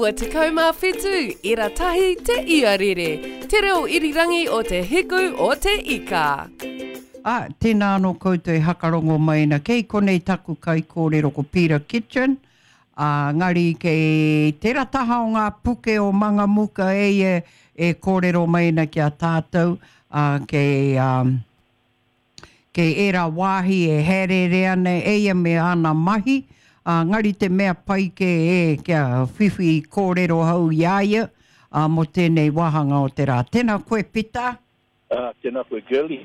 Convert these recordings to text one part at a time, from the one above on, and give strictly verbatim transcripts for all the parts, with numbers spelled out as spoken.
iwa tekau mā whitu, ira tahi te iarere, te reo irirangi o te hiku o te ika. Ā, tēnā anō koutou e hakarongo mai ana. Kei konei taku kaikōrero ko Peter Kitchen, ā, ngari kei tērā taha o ngā puke o Mangamuka e ia e kōrero mai ana ki a tātou, ā, kei, ā, kei ērā wāhi e hāereere ana e ia me āna mahi, ā, ngari te mea pai kē e kia whiwhi kōrero hou i a ia, ā, mō tēnei wāhanga o te rā. Tēnā koe, Pita. Ā, tēnā koe, Girlie.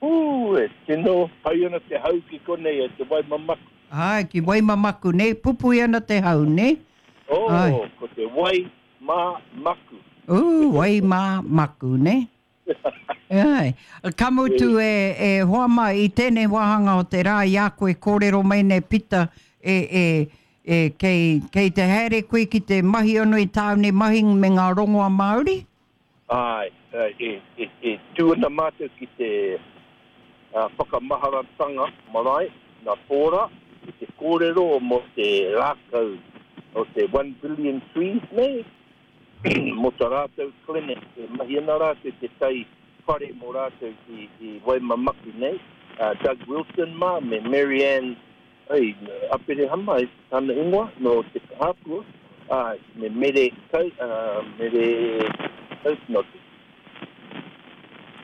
Ū, e tino pai ana te hau ki konei e te Waimamaku. Āe, ki Waimamaku, nē, pupui ana te hau, nē? Ō, ko te wai mā maku. Ū, wai mā maku, nē? Āe. Ka mutu e, e hoa mā, i tēnei wāhanga o te rā i a koe kōrero mai nei Pita, e, e, e, kei, kei te haere koe ki te mahi anō i tāu nei mahi me ngā rongoa Māori? Āe, e, e, e tū ana mātou ki te uh, whakamaharatanga marae, nā Pōra, ki te kōrero mō te rākau o te one billion trees nei, mō tā rātou clinic, e mahi ana rātou te tai whare mō rātou i, i Waimamaku nei, uh, Doug Wilson mā, me Mary Ann, ai, Aperehama, e tana ingoa, no te Hāpua, uh, me Mere Kau, uh, Mere Kau, no te,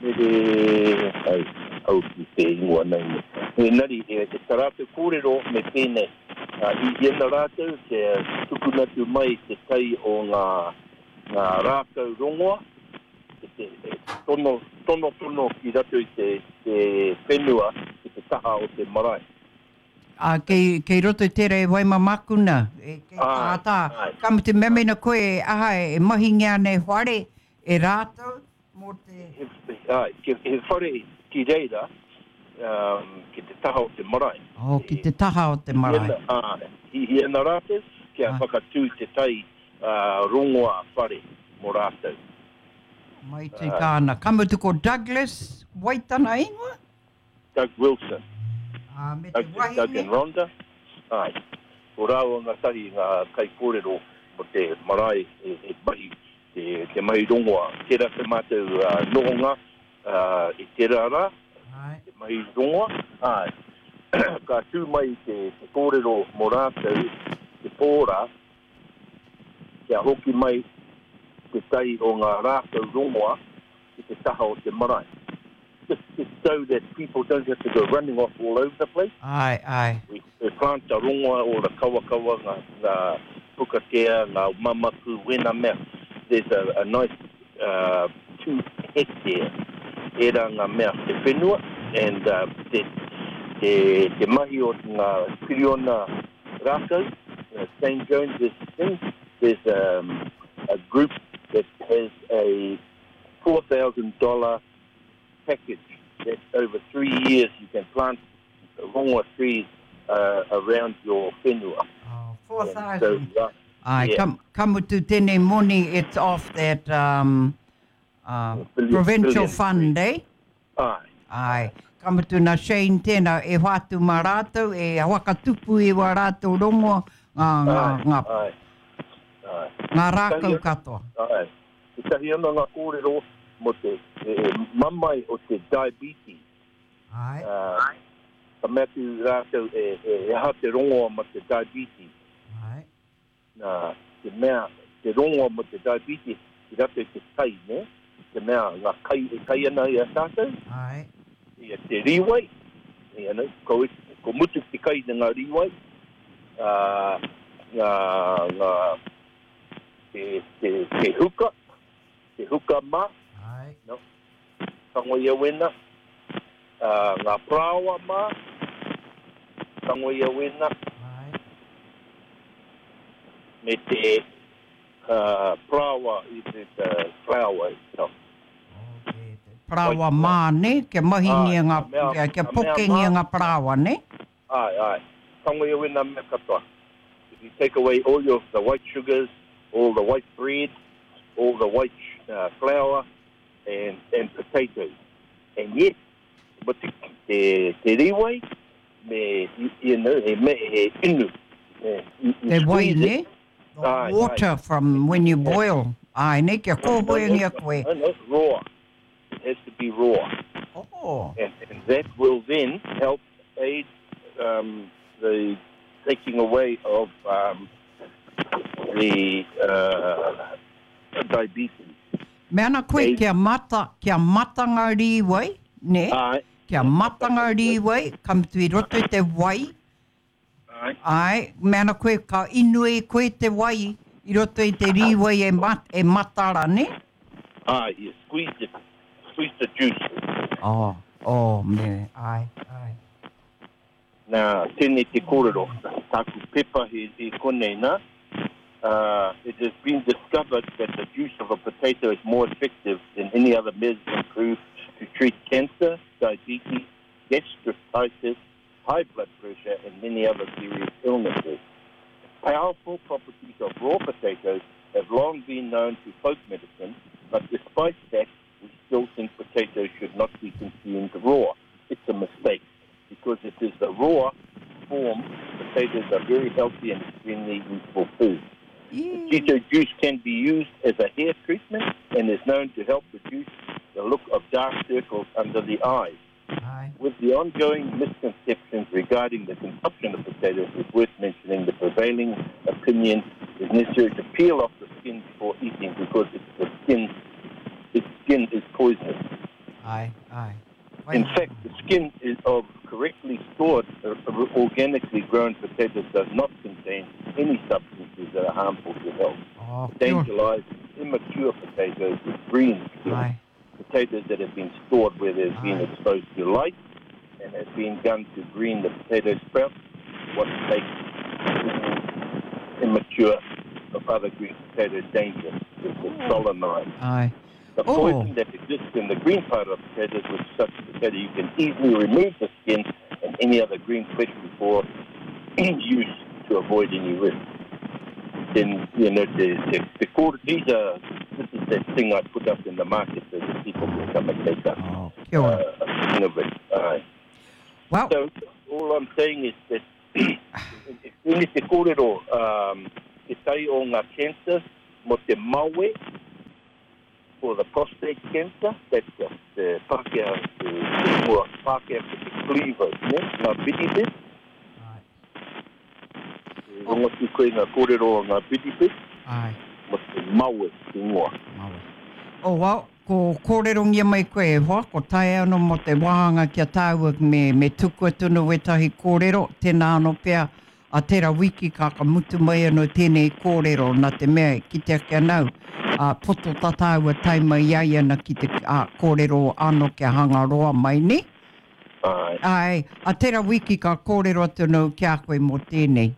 Mere, ai, au ki te ingoa nei. Engari, e, e tā rātou kōrero me pēnei, uh, i hiana rātou te tukuna atu mai te tai o ngā, ngā rākau rongoa, te, te, e, tono, tono tono ki rato i te, te whenua ki te taha o te marae. Ā, kei, kei roto i tērā e Waimamaku nā, e, kei Āe, tā, tā. āe. Ka mutu mea mena koe e aha e mahingia ana e whare e rātou mō te... He, āe, ki, he whare ki reira, um, ki te taha o te marae. Oh, ki te taha o te marae. Hihi ana, āe, hihi ana rātou kia Āe. whakatū te tai, uh, rongoa whare mō rātou. Mai te kāna. Ka mutu ko Douglas Waitana ingoa? Doug Wilson. Ā, me te Doug, wahine? Doug and Rhonda. Āe. Ko rāua ngā tahi ngā kaikōrero mō te marae e, e mahi, te, te mahi rongoa. Tērā te mātou, uh, nohonga, uh, i tērā rā, Āe. te mahi rongoa. Āe. Ka tū mai te, te kōrero mō rātou, te pōra, kia hoki mai te tai o ngā rākau rongoa ki te taha o te marae. Just, just so that people don't have to go running off all over the place. Āe, āe. We, we plant the rongoa o the kawakawa, ngā, ngā pukatea, ngā mamaku, wena mea. There's a, a nice, uh, two hectare era ngā mea te whenua, and, uh, te, te, te mahi o ngā piriona rākau, uh, Saint Jones's thing, there's, um, a group that has a four thousand dollar package that over three years you can plant rongoa trees, uh, around your whenua. Oh, four And so, thousand. uh, Ai, yeah. kam, ka mutu tēnei moni, it's off that, um, uh, Billion, provincial billion fund, trees. eh? Ai. Ai, ka mutu nā Shane tēnā, e whātu mā rātou, e whakatupu i wā rātou rongoa, ngā, ngā, Ai, ngā, ai, ai. ngā rākau Tetahi- katoa. Ai. Tetahi ana ngā kōrero mō te, e, e, mamai o te diabetes. Ai. Uh, ka mea atu rātou e, e, e aha te rongoa mō te diabetes. Ai. Nā, te mea, te rongoa mō te diabetes, ki rātou te kai, ne? Te mea, ngā kai e kai ana i a tātou. Ai. Ia te rīwai, ia no, ko, ko mutu te kai na ngā rīwai, uh, ngā, ngā, te, te, te huka, te huka mā, Ai. no, tango ia wena, uh, ngā prāoa mā, tango ia wena, Ai. me te, uh, prāoa, i te, te flour itself. Okay, te Parāoa mā, ne? Kia mahingia Ai, ngā, mea, kia, kia mea pokengia mā. ngā parāoa, ne? Ai, ai. Tango ia wena mea katoa. If you take away all your, the white sugars, all the white bread, all the white, uh, flour, and, and potatoes. And yet, but te, te, te rīwai, me, you know, he, me, he inu. Eh, you, you Te wai, squeeze it. ne? The Aye, water aye. from when you boil. Ai, ne, kia kōhoengia koe. No, no, raw. It has to be raw. Oh. And, and that will then help aid um, the taking away of um, the uh, diabetes. Me ana koe Ei. kia mata, kia mata ngā rīwai, ne? Ai. Kia mata ngā rīwai, ka mutu i roto i te wai. Ai. Ai, me ana koe ka inu e koe te wai i roto i te rīwai e, mat, e matara, ne? Ai, you squeeze it, squeeze the juice. Oh, oh, me, ai, ai. Nā, tēnei te kōrero, tāku pepa he, he konei nā. Uh, it has been discovered that the juice of a potato is more effective than any other medicine proved to treat cancer, diabetes, gastritis, high blood pressure, and many other serious illnesses. Powerful properties of raw potatoes have long been known to folk medicine, but despite that, we still think potatoes should not be consumed raw. It's a mistake, because it is the raw form. Potatoes are very healthy and extremely useful food. Potato juice can be used as a hair treatment and is known to help reduce the look of dark circles under the eyes. Aye. With the ongoing misconceptions regarding the consumption of potatoes, it's worth mentioning the prevailing opinion is necessary to peel off the skin before eating because it's the skin, its skin is poisonous. Aye, aye. In fact, the skin is of correctly stored, uh, organically grown potatoes does not contain any substances that are harmful to health. Oh, kia ora. Danger lies in immature potatoes with green skin, Aye. potatoes that have been stored where they've been Aye. exposed to light and have been done to green the potato sprouts, what makes immature of other green potatoes dangerous is the solanine. Aye. The Oh. poison that exists in the green part of potatoes, with such potato, you can easily remove the skin and any other green flesh before use to avoid any risk. Then, you know, the, the, the quarter, these are, this is that thing I put up in the market so that people can come and take up Oh, kia ora. uh, a thing of it. Aye. Well, So all I'm saying is that tēnei te kōrero, um, te tai o ngā cancer mo te mawe, for the prostate cancer, that's the, the Pākehā, te, te mua Pākehā ko te cleavers, ne? Ngā bidibid. Aye. Te rongotu koe ngā kōrero o ngā bidibid, Aye. mo te mawe te ingoa. Mawe. Oh, well, ko kōrerongia mai koe e hoa, ko tae anō mo te wāhanga kia tāua me, me tuku atu no wetahi kōrero, tēnā anō pea, a tērā wiki ka ka mutu mai anō tēnei kōrero, nā te mea ki te ake anau, a poto tā tāua taima i ai ana ki te a, kōrero anō kia hangaroa mai ni. Ai, Ai, a tērā wiki ka kōrero atu anō ki a koe mō tēnei.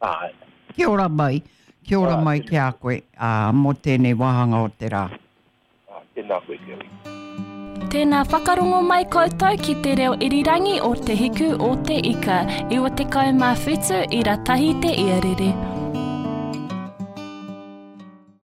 ai. Kia ora mai, kia ora Ai, mai tēnā. ki a koe, a, mō tēnei wāhanga o te rā. Ai, tēnā koe, Kerry. Tēnā whakarongo mai koutou ki te reo irirangi o Te Hiku o Te Ika, iwa tekau mā whitu i ratahi te iarere.